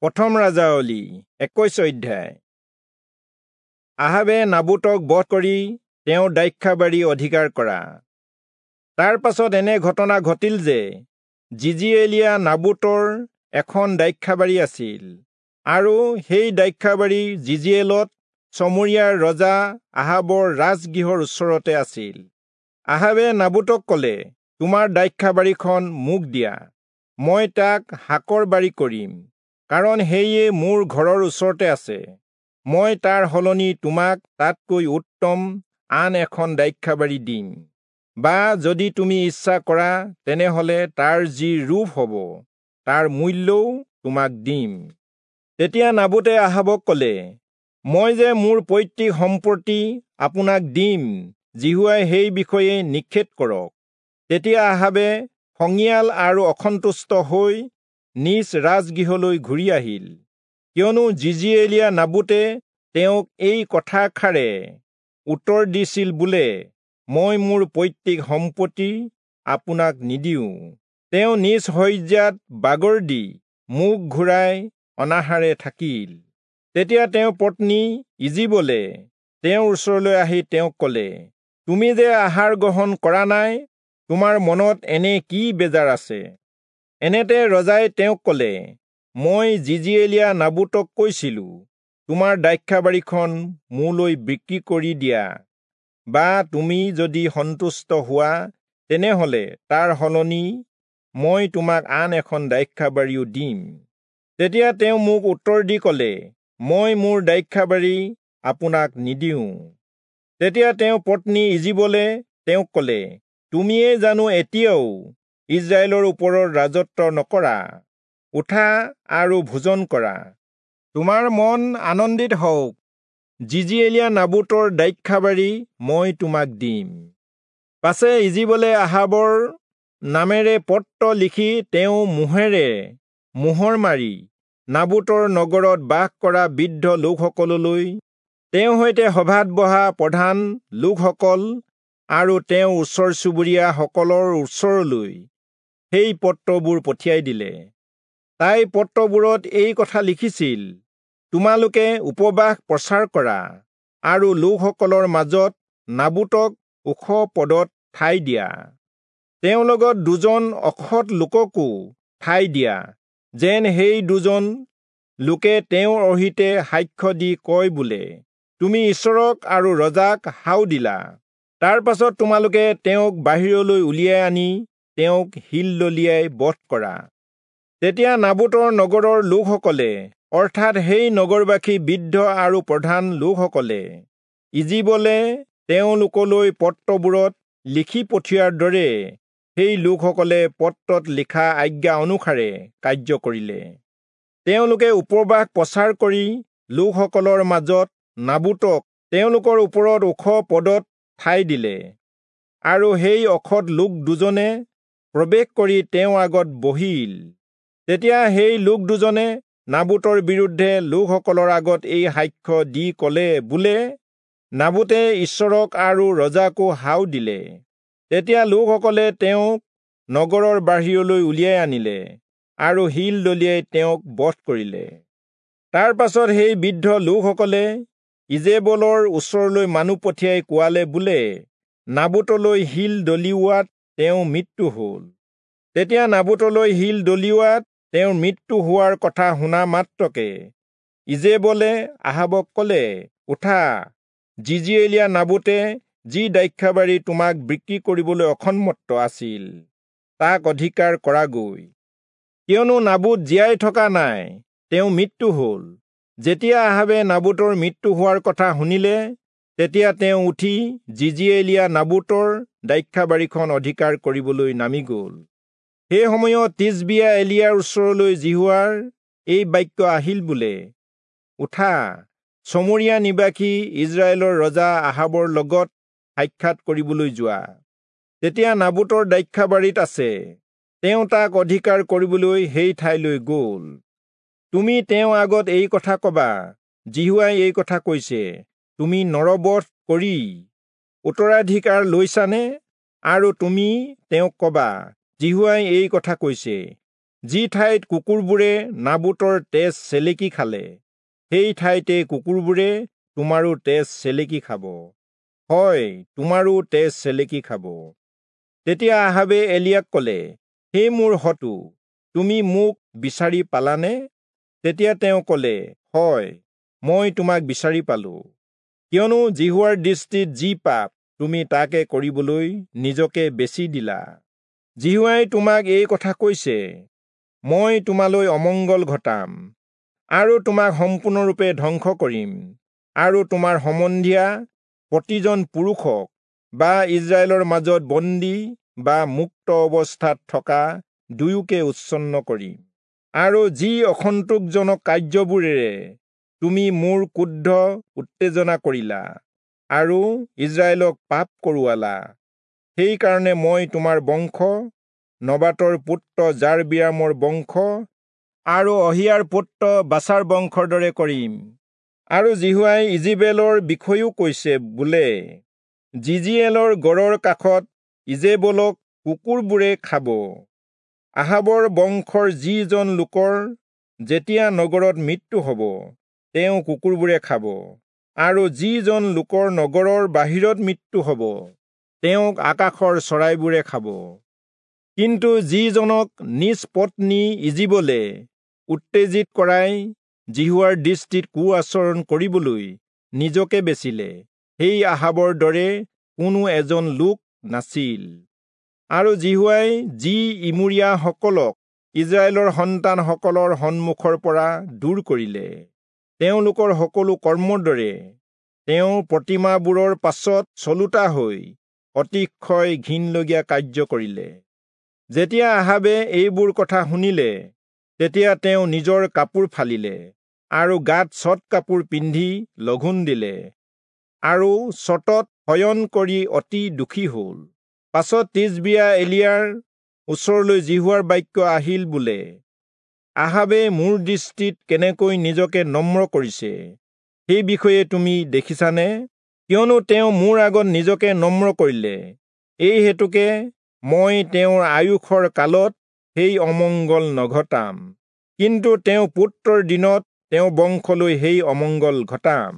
প্ৰথম ৰাজাৱলী 21 অধ্যায়। আহাবে নাবোতক বধ কৰি তেওঁৰ দ্ৰাক্ষাবাৰী অধিকাৰ কৰা। তাৰ পাছত এনে ঘটনা ঘটিল যে যিজিয়েলীয়া নাবোতৰ এখন দ্ৰাক্ষাবাৰী আছিল, আৰু সেই দ্ৰাক্ষাবাৰী যিজিয়েলত চমৰীয়াৰ ৰজা আহাবৰ ৰাজগৃহৰ ওচৰতে আছিল। আহাবে নাবোতক ক'লে, তোমাৰ দ্ৰাক্ষাবাৰীখন মোক দিয়া, মই তাক শাকৰ বাৰী কৰিম, কাৰণ সেয়ে মোৰ ঘৰৰ ওচৰতে আছে। মই তাৰ সলনি তোমাক তাতকৈ উত্তম আন এখন দ্ৰাক্ষাবাৰী দিম, বা যদি তুমি ইচ্ছা কৰা তেনেহলে তাৰ যি ৰূপ হ'ব তাৰ মূল্যও তোমাক দিম। তেতিয়া নাবোতে আহাবক ক'লে, মই যে মোৰ পৈতৃক সম্পত্তি আপোনাক দিম, যিহোৱাই সেই বিষয়ে নিষেধ কৰক। তেতিয়া আহাবে খঙীয়াল আৰু অসন্তুষ্ট হৈ নিজ ৰাজগৃহলৈ ঘূৰি আহিল, কিয়নো যিজিয়েলীয়া নাবোতে তেওঁক এই কথাষাৰে উত্তৰ দিছিল বোলে, মই মোৰ পৈতৃক সম্পত্তি আপোনাক নিদিওঁ। তেওঁ নিজ শয্যাত বাগৰ দি মুখ ঘূৰাই অনাহাৰে থাকিল। তেতিয়া তেওঁৰ পত্নী ইজিবলে তেওঁৰ ওচৰলৈ আহি তেওঁক ক'লে, তুমি যে আহাৰ গ্ৰহণ কৰা নাই, তোমাৰ মনত এনে কি বেজাৰ আছে? এনেতে ৰজাই তেওঁক ক'লে, মই যিজিয়েলীয়া নাবোতক কৈছিলো, তোমাৰ দ্ৰাক্ষাবাৰীখন মোলৈ বিক্ৰী কৰি দিয়া, বা তুমি যদি সন্তুষ্ট হোৱা তেনেহলে তাৰ সলনি মই তোমাক আন এখন দ্ৰাক্ষাবাৰীও দিম। তেতিয়া তেওঁ মোক উত্তৰ দি ক'লে, মই মোৰ দ্ৰাক্ষাবাৰী আপোনাক নিদিওঁ। তেতিয়া তেওঁ পত্নী ইজিবলে তেওঁক ক'লে, তুমিয়েই জানো এতিয়াও ইস্ৰায়েলৰ ওপৰত ৰাজত্ব নকৰা? উঠা আৰু ভোজন কৰা, তোমাৰ মন আনন্দিত হওক, যিজিয়েলীয়া নাবোতৰ দ্ৰাক্ষাবাৰী মই তোমাক দিম। পাছে ইজিবলে আহাবৰ নামেৰে পত্ৰ লিখি তেওঁ মোহেৰে মোহৰ মাৰি নাবোতৰ নগৰত বাস কৰা বৃদ্ধ লোকসকললৈ, তেওঁৰ সৈতে সভাত বহা প্ৰধান লোকসকল আৰু তেওঁৰ ওচৰ চুবুৰীয়াসকলৰ ওচৰলৈ সেই পত্ৰবোৰ পঠিয়াই দিলে। তাই পত্ৰবোৰত এই কথা লিখিছিল, তোমালোকে উপবাস প্ৰচাৰ কৰা আৰু লোকসকলৰ মাজত নাবোতক ওখ পদত ঠাই দিয়া, তেওঁৰ লগত দুজন অসৎ লোককো ঠাই দিয়া, যেন সেই দুজন লোকে তেওঁৰ অহিতে সাক্ষ্য দি কয় বোলে, তুমি ঈশ্বৰক আৰু ৰজাক হাও দিলা। তাৰ পাছত তোমালোকে তেওঁক বাহিৰলৈ উলিয়াই আনি তেওঁক শিল দলিয়াই বধ কৰা। তেতিয়া নাবোতৰ নগৰৰ লোকসকলে, অৰ্থাৎ সেই নগৰবাসী বৃদ্ধ আৰু প্ৰধান লোকসকলে, ইজিবলে তেওঁলোকলৈ পত্ৰবোৰত লিখি পঠিওৱাৰ দৰে সেই লোকসকলে পত্ৰত লিখা আজ্ঞা অনুসাৰে কাৰ্য কৰিলে। তেওঁলোকে উপবাস প্ৰচাৰ কৰি লোকসকলৰ মাজত নাবোতক তেওঁলোকৰ ওপৰত ওখ পদত ঠাই দিলে, আৰু সেই অসৎ লোক দুজনে প্ৰৱেশ কৰি তেওঁৰ আগত বহিল। তেতিয়া সেই লোক দুজনে নাবোতৰ বিৰুদ্ধে লোকসকলৰ আগত এই সাক্ষ্য দি ক'লে বোলে, নাবোতে ঈশ্বৰক আৰু ৰজাকো হাও দিলে। তেতিয়া লোকসকলে তেওঁক নগৰৰ বাহিৰলৈ উলিয়াই আনিলে আৰু শিল দলিয়াই তেওঁক বধ কৰিলে। তাৰ পাছত সেই বৃদ্ধ লোকসকলে ইজেবলৰ ওচৰলৈ মানুহ পঠিয়াই কোৱালে বোলে, নাবোতলৈ শিল দলিওৱাত তেওঁ মৃত্যু হ'ল। তেতিয়া নাবোতলৈ শিল দলিওৱাত তেওঁৰ মৃত্যু হোৱাৰ কথা শুনা মাত্ৰকে ইজেবলে আহাবক ক'লে, উঠা, যিজিয়েলীয়া নাবোতে যি দ্ৰাক্ষাবাৰী তোমাক বিক্ৰী কৰিবলৈ অসন্মত আছিল তাক অধিকাৰ কৰাগৈ, কিয়নো নাবোত জীয়াই থকা নাই, তেওঁ মৃত্যু হ'ল। যেতিয়া আহাবে নাবোতৰ মৃত্যু হোৱাৰ কথা শুনিলে, তেতিয়া তেওঁ উঠি যিজিয়েলীয়া নাবোতৰ দ্ৰাক্ষাবাৰীখন অধিকাৰ কৰিবলৈ নামি গ'ল। সেই সময়ত তিচবিয়া এলিয়াৰ ওচৰলৈ যিহোৱাৰ এই বাক্য আহিল বোলে, উঠা, চমৰীয়া নিবাসী ইস্ৰায়েলৰ ৰজা আহাবৰ লগত সাক্ষাৎ কৰিবলৈ যোৱা। তেতিয়া নাবোতৰ দ্ৰাক্ষাবাৰীত আছে, তেওঁ তাক অধিকাৰ কৰিবলৈ সেই ঠাইলৈ গ'ল। তুমি তেওঁৰ আগত এই কথা কবা, যিহোৱাই এই কথা কৈছে, তুমি নৰবধ কৰি উত্তৰাধিকাৰ লৈছানে? আৰু তুমি তেওঁক কবা, যিহোৱাই এই কথা কৈছে, যি ঠাইত কুকুৰবোৰে নাবোতৰ তেজ চেলেকি খালে, সেই ঠাইতে কুকুৰবোৰে তোমাৰো তেজ চেলেকি খাব, হয়, তোমাৰো তেজ চেলেকি খাব। তেতিয়া আহাবে এলিয়াক ক'লে, হে মোৰ শত্ৰু, তুমি মোক বিচাৰি পালানে? তেতিয়া তেওঁ ক'লে, হয়, মই তোমাক বিচাৰি পালো, কিয়নো যিহোৱাৰ দৃষ্টিত যি পাপ, তুমি তাকে কৰিবলৈ নিজকে বেচি দিলা। যিহোৱাই তোমাক এই কথা কৈছে, মই তোমালৈ অমংগল ঘটাম আৰু তোমাক সম্পূৰ্ণৰূপে ধ্বংস কৰিম, আৰু তোমাৰ সম্বন্ধীয়া প্ৰতিজন পুৰুষক বা ইস্ৰায়েলৰ মাজত বন্দী বা মুক্ত অৱস্থাত থকা দুয়োকে উচ্ছন্ন কৰিম। আৰু যি অসন্তোষজনক কাৰ্যবোৰেৰে তুমি মোৰ ক্ৰোধ উত্তেজনা কৰিলা আৰু ইস্ৰায়েলক পাপ কৰোৱালা, সেইকাৰণে মই তোমাৰ বংশ, নবাতৰ পুত্ৰ যাৰবিয়ামৰ বংশ আৰু অহিয়াৰ পুত্ৰ বাচাৰ বংশৰ দৰে কৰিম। আৰু যিহোৱাই ইজিবেলৰ বিষয়েও কৈছে বোলে, যিজিয়েলৰ গড়ৰ কাষত ইজেবলক কুকুৰবোৰে খাব। আহাবৰ বংশৰ যিজন লোকৰ যেতিয়া নগৰত মৃত্যু হ'ব, তেওঁ কুকুৰবোৰে খাব, আৰু যিজন লোকৰ নগৰৰ বাহিৰত মৃত্যু হ'ব, তেওঁক আকাশৰ চৰাইবোৰে খাব। কিন্তু যিজনক নিজ পত্নী ইজিবলে উত্তেজিত কৰাই যিহোৱাৰ দৃষ্টিত কু আচৰণ কৰিবলৈ নিজকে বেচিলে, সেই আহাবৰ দৰে কোনো এজন লোক নাছিল। আৰু যিহোৱাই যি ইমূৰীয়াসকলক ইস্ৰায়েলৰ সন্তানসকলৰ সন্মুখৰ পৰা দূৰ কৰিলে, তেওঁলোকৰ সকলো কৰ্মৰ দৰে তেওঁ প্ৰতিমাবোৰৰ পাছত চলোতা হৈ অতিশয় ঘিণলগীয়া কাৰ্য কৰিলে। যেতিয়া আহাবে এইবোৰ কথা শুনিলে, তেতিয়া তেওঁ নিজৰ কাপোৰ ফালিলে আৰু গাত চট কাপোৰ পিন্ধি লঘোণ দিলে আৰু চটত শয়ন কৰি অতি দুখী হ'ল। পাছত তিচবিয়া এলিয়াৰ ওচৰলৈ যিহোৱাৰ বাক্য আহিল বোলে, আহাবে মোৰ দৃষ্টিত কেনেকৈ নিজকে নম্ৰ কৰিছে, সেই বিষয়ে তুমি দেখিছানে? কিয়নো তেওঁ মোৰ আগত নিজকে নম্ৰ কৰিলে, এই হেতুকে মই তেওঁৰ আয়ুসৰ কালত সেই অমংগল নঘটাম, কিন্তু তেওঁ পুত্ৰৰ দিনত তেওঁ বংশলৈ সেই অমংগল ঘটাম।